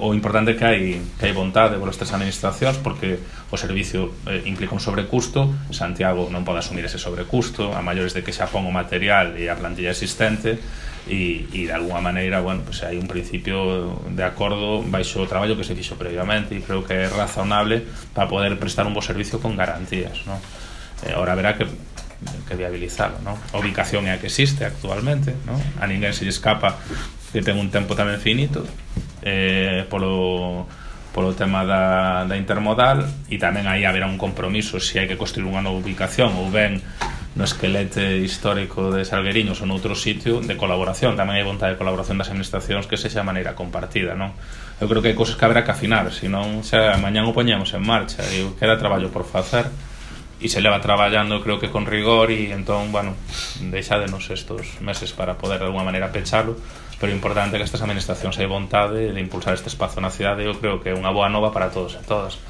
o importante que hai vontade polas tres administracións, porque o servicio implica un sobrecusto. Santiago non pode asumir ese sobrecusto, a maiores de que xa pon o material e a plantilla existente, e de alguna maneira, bueno, pues hai un principio de acordo baixo o traballo que se fixo previamente, e creo que é razonable para poder prestar un bo servicio con garantías, ¿no? Ahora haberá que viabilizarlo, ¿no? A ubicación é a que existe actualmente, ¿no? A ninguén se lle escapa que ten un tempo tamén finito, polo tema da intermodal, e tamén aí haberá un compromiso se hai que construir unha nova ubicación ou ben no esquelete histórico de Salgueriños ou noutro sitio, de colaboración. Tamén hai vontade de colaboración das administracións que sexa a maneira compartida, non? Eu creo que hai cousas que haberá que afinar, senón xa mañán o poñemos en marcha e queda traballo por facer, e se leva traballando creo que con rigor, e entón, bueno, deixádenos estos meses para poder de alguma maneira pechalo, pero é importante que estas administracións hai vontade de impulsar este espazo na cidade. Eu creo que é unha boa nova para todos e todas.